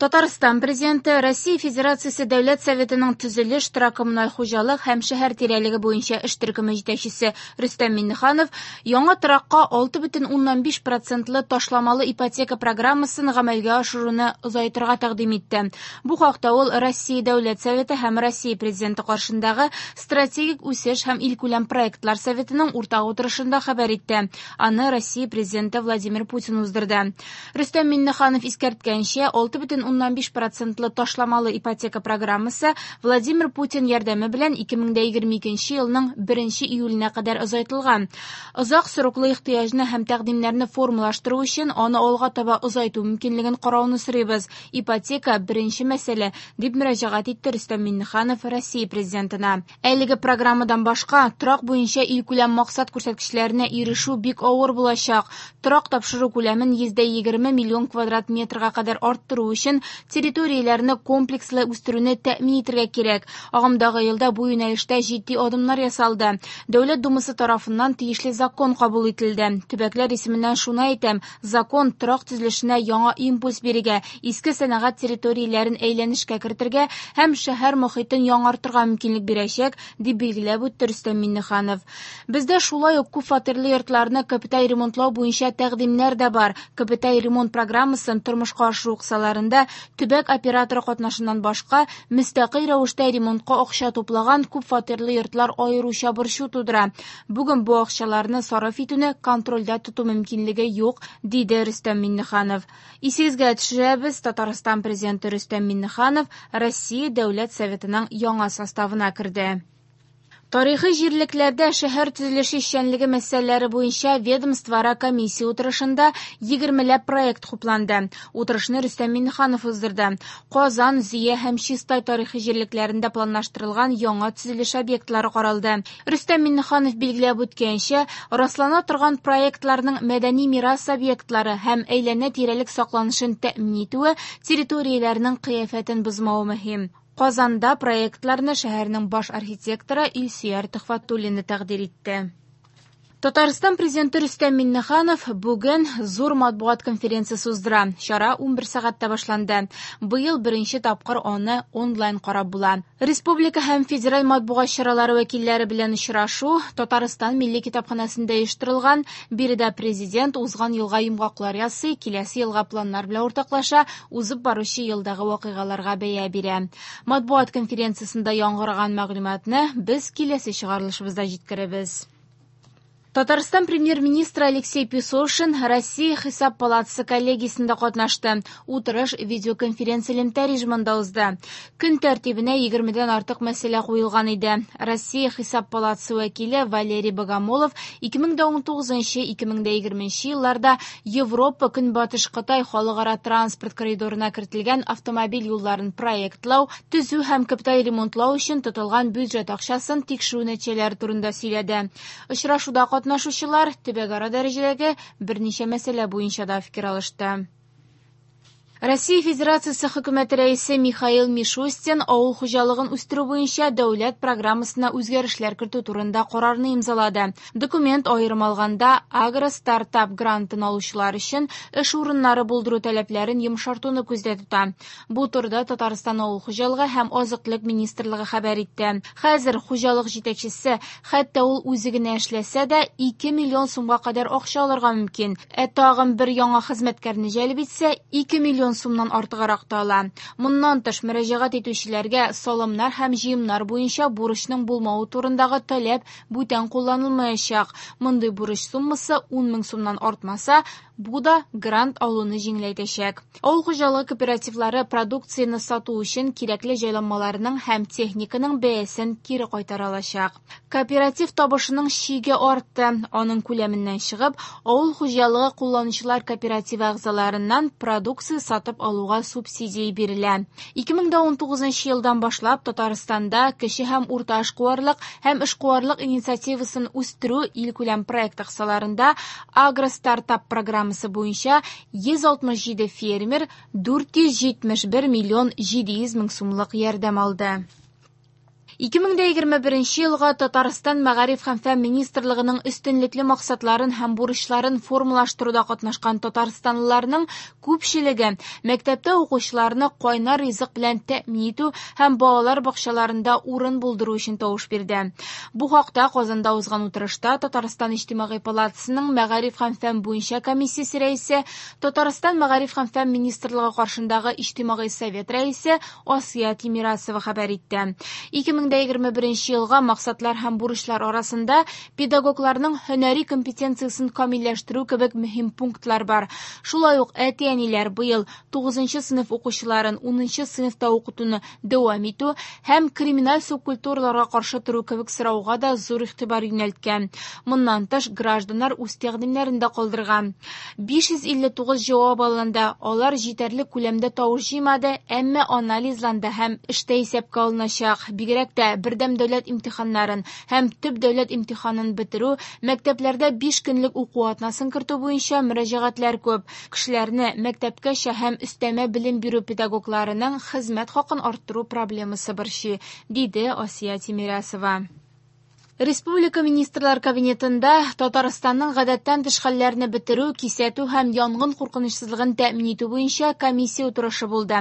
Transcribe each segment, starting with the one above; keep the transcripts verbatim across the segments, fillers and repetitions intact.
Татарстан Президенты Россия Федерациясе Дәүләт Советының төзелеш, торак-коммуналь хуҗалык һәм шәһәр тирәлеге буенча эш төркеме җитәкчесе Рөстәм Миңнеханов яңа торакка алты бөтен уннан биш процентлы ташламалы ипотека программасын гамәлгә ашыруны озайтырга тәкъдим итте. Бу хакта ул Россия Дәүләт Советы һәм Россия Президенты каршындагы Стратегик үсеш һәм илкүләм проектлар советының уртак утырышында хәбәр итте. Аны Россия Президенты Владимир Путин уздырды. Рөстәм Миңнеханов искәрткәнчә, алты бөтен уннан биш процентлы ташламалы ипотека программасы Владимир Путин ярдәме белән ике мең дә егерме икенче елның беренче июленә кадәр озайтылган. Озак сроклы ихтыяҗны һәм тәкъдимнәрне формалаштыру өчен аны алга таба озайту мөмкинлеген карауны сорыйбыз. Ипотека беренче мәсьәлә, дип мөрәҗәгать итте Рөстәм Миңнеханов Россия Президентына. Әлеге программадан башка торак буенча илкүләм максат күрсәткечләренә ирешү бик авыр булачак. Торак тапшыру күләмен йөздә егерме миллион квадрат метрга кадәр арттыру өчен территорияләрне комплекслы үстерүне тәэмин итәргә кирәк. Агымдагы елда бу юнәлештә җитди адымнар ясалды. Дәүләт Думасы тарафыннан тиешле закон кабул ителде. Төбәкләр исеменнән шуны әйтәм, закон торак төзелешенә яңа импульс бирергә, иске сәнәгать территорияләрен әйләнешкә кертергә һәм шәһәр мохитен яңартырга мөмкинлек бирәчәк, дип билгеләп үтте Рөстәм Миңнеханов. Бездә шулай ук күп фатирлы йортларны капиталь ремонтлау буенча тәкъдимнәр дә бар. Капиталь ремонт программасын тормышка ашыру кысаларында төбәк операторы катнашыннан башка мөстәкыйль рәвештә ремонтка акча туплаган күп фатирлы йортлар аеруча борчу тудыра. Бүген бу акчаларны сарыф итүне контрольдә тоту мөмкинлеге юк, диде Рөстәм Миңнеханов. Исегезгә төшерәбез, Татарстан Президенты Рөстәм Миңнеханов Россия Дәүләт Советының яңа составына керде. Тарихи җирлекләрдә шәһәр төзелеше эшчәнлеге мәсьәләләре буенча ведомствоара комиссия утырышында егермеләп проект хупланды. Утырышны Рөстәм Миңнеханов уздырды. Казан, Зөя һәм Чистай тарихи җирлекләрендә планлаштырылган яңа төзелеш объектлары каралды. Рөстәм Миңнеханов билгеләп үткәнчә, раслана торган проектларның мәдәни мирас объектлары һәм әйләнә-тирәлек сакланышын тәэмин итүе территорияләрнең кыяфәтен бозмавы мөһим. Казанда проектларны шәһәрнең баш архитекторы Илсөяр Төхвәтуллина тәкъдир итте. Татарстан Президенты Рөстәм Миңнеханов бүген зур матбугат конференциясе уздыра. Чара унбер сәгатьтә башланды. Быел беренче тапкыр аны онлайн карап була. Республика һәм федераль матбугат чаралары вәкилләре белән очрашу Татарстан Милли китапханәсендә оештырылган. Биредә президент узган елга йомгаклар ясый, киләсе елга планнар белән уртаклаша, узып баручы елдагы вакыйгаларга бәя бирә. Матбугат конференциясендә яңгыраган мәгълүматны без киләсе чыгарылышыбызда җиткерәбез. Татарстан премьер-министры Алексей Песошин Россия Хисап палатасы коллегиясендә катнашты. Утырыш видеоконференция элемтә режимында узды. Көн тәртибенә егермедән артык мәсьәлә куелган иде. Россия Хисап палатасы вәкиле Валерий Богомолов ике мең дә унтугызынчы, ике мең дә егерменче елларда Европа Көнбатыш Кытай халыкара транспорт коридорына кертелгән автомобиль юлларын проектлау, төзү һәм капиталь ремонтлау өчен тотылган бюджет акчасын тикшерү нәтиҗәләре турында сөйләде. Очрашуда катнашучылар төбәкара дәрәҗәдәге берничә мәсьәлә буенча да фикер алышты. Россия Федерациясе хөкүмәте рәисе Михаил Мишустин авыл хуҗалыгын үстерү буенча дәүләт программасына үзгәрешләр кертү турында карарны имзалады. Документ аерым алганда агро-стартап грантын алучылар өчен эш урыннары булдыру таләпләрен йомшартуны күздә тота. Бу турыда Татарстан авыл хуҗалыгы һәм азык-төлек министрлыгы хәбәр итте. Хәзер хуҗалык җитәкчесе, хәтта ул үзе генә эшләсә дә, ике миллион сумга кадәр акча алырга мөмкин. Ә тагын бер яңа хезмәткәрне җәлеп итсә, ике миллион сумнан артыграк та ала. Моннан тыш мөрәҗәгать итүчеләргә салымнар һәм җыемнар буенча бурычның булмавы турындагы таләп бүтән кулланылмаячак. Мондый бурыч суммасы ун мең сумнан артмаса, бу да грант алуны җиңеләйтәчәк. Авыл хуҗалыгы кооперативлары продукцияне сату өчен кирәкле җайланмаларның һәм техниканың бәясен кире кайтара алачак. Кооператив табышының чиге артты. Аның күләменнән чыгып, авыл хуҗалыгы кулланучылар кооперативы әгъзаларыннан продукция сатып алуга субсидия бирелә. Ике мең дә унтугызынчы елдан башлап Татарстанда кече һәм урта эшкуарлык һәм эшкуарлык инициативасын үстерү илкүләм проекты кысаларында агростартап программасы буенча йөз алтмыш җиде фермер дүрт йөз җитмеш бер миллион җиде йөз мең сумлык ярдәм алды. ике мең егерме беренче елга Татарстан Мәгариф һәм фән министрлыгының өстенлекле максатларын һәм бурычларын формалаштыруда катнашкан татарстанлыларның күпчелеге мәктәптә укучыларны кайнар ризык белән тәэмин итү һәм балалар бакчаларында урын булдыру өчен тавыш бирде. Бу хакта Казанда узган утырышта Татарстан Иҗтимагый палатасының Мәгариф һәм фән буенча комиссиясе рәисе, Татарстан Мәгариф һәм фән министрлыгы каршындагы Иҗтимагый совет рәисе Асия Тимирясова хәбәр итте. ике мең егерме беренче елга максатлар һәм бурычлар арасында педагогларның һөнәри компетенциясен камилләштерү кебек мөһим пунктлар бар. Шулай ук әти-әниләр быел тугызынчы сыйныф укучыларын унынчы сыйныфта укытуны дәвам итү һәм криминаль субкультураларга каршы тору кебек сорауга да зур игътибар юнәлткән. Моннан тыш гражданнар үз тәкъдимнәрен дә калдырган. биш йөз илле тугыз җавап алынды. Алар җитәрлек күләмдә тавыш җыймады, әмма анализланды һәм эштә исәпкә алыначак. Бигрәк тә бердәм дәүләт имтиханнарын һәм төп дәүләт имтиханын бетерү, мәктәпләрдә биш көнлек уку атнасын кертү буенча мөрәҗәгатьләр күп. Кешеләрне мәктәпкәчә һәм өстәмә белем бирү педагогларының хезмәт хакын арттыру проблемасы борчый, диде Асия Тимирясова. Республика Министрлар Кабинетында Татарстанның гадәттән тыш хәлләрне бетерү, кисәтү һәм янгын куркынычсызлыгын тәэмин итү буенча комиссия утырышы булды.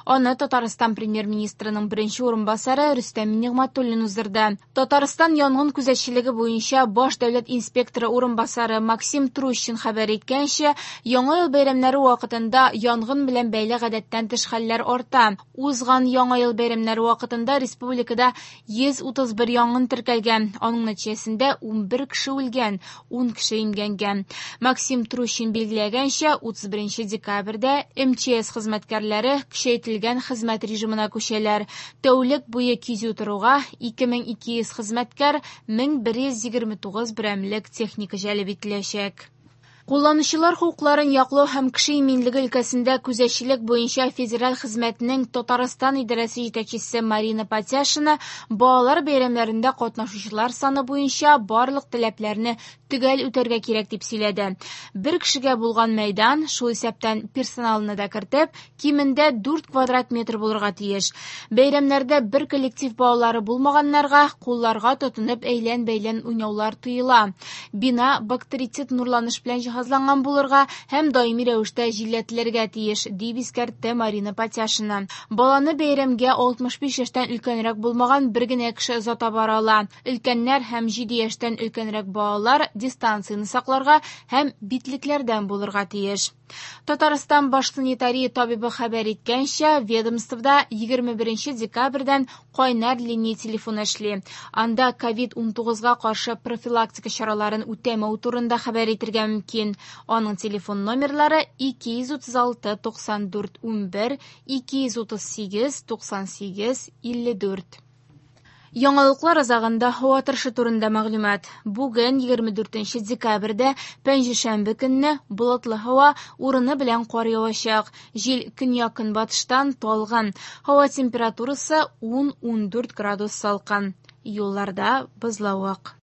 Аны Татарстан премьер-министрының беренче урынбасары Рөстәм Нигъмәтуллин уздырды. Татарстан янгын күзәтчелеге буенча баш дәүләт инспекторы урынбасары Максим Трущин хәбәр иткәнчә, Яңа ел бәйрәмнәре вакытында янгын белән бәйле гадәттән тыш хәлләр арта. Узган Яңа ел бәйрәмнәре вакытында республикада йөз утыз бер янгын теркәлгән. Аның нәтиҗәсендә ун бер кеше үлгән, ун кеше имгәнгән. Максим Трущин билгеләгәнчә, утыз беренче декабрьдә эм че эс хезмәткәрләре көчәйтелгән хезмәт режимына күчәләр. Тәүлек буе кизү торуга ике мең ике йөз хезмәткәр, мең бер йөз егерме тугыз берәмлек техника җәлеп ителәчәк. Кулланучылар хокукларын яклау һәм кеше иминлеге өлкәсендә күзәтчелек буенча федераль хезмәтнең Татарстан идарәсе җитәкчесе Марина Патяшина балалар бәйрәмнәрендә катнашучылар саны буенча барлык таләпләрне төгәл үтәргә кирәк дип сөйләде. Бер кешегә булган мәйдан, шул исәптән персоналны да кертеп, кимендә дүрт квадрат метр булырга тиеш. Бәйрәмнәрдә бер коллектив балалары булмаганнарга кулларга тотынып әйлән-бәйлән уйнаулар тыела. Бина бактерицид нурланыш белән җиһазланган булырга һәм даими рәвештә җилләтелергә тиеш, дип искәртте Марина Патяшина. Баланы бәйрәмгә алтмыш биш яшьтән өлкәнрәк булмаган бер генә кеше озата бара ала. Өлкәннәр һәм җиде яшьтән өлкәнрәк балалар дистанцияне сакларга һәм битлекләрдән булырга тиеш. Татарстан баш санитария табибы хәбәр иткәнчә, ведомствода егерме беренче декабрьдән кайнар линия телефоны эшли. Анда ковид унтугызга каршы профилактика чараларын үтәмәү турында хәбәр итергә мөмкин. Аның телефон номерлары ике йөз утыз алты туксан дүрт унбер, ике йөз утыз сигез туксан сигез илле дүрт. Яңалыклар азагында һава торышы турында мәгълүмат. Бүген егерме дүртенче декабрьдә пәнҗешәмбе көнне болытлы һава, урыны белән кар явачак. Җил көньяк-көнбатыштан талгын. Һава температурасы ун-ундүрт градус салкын. Юлларда бозлавык.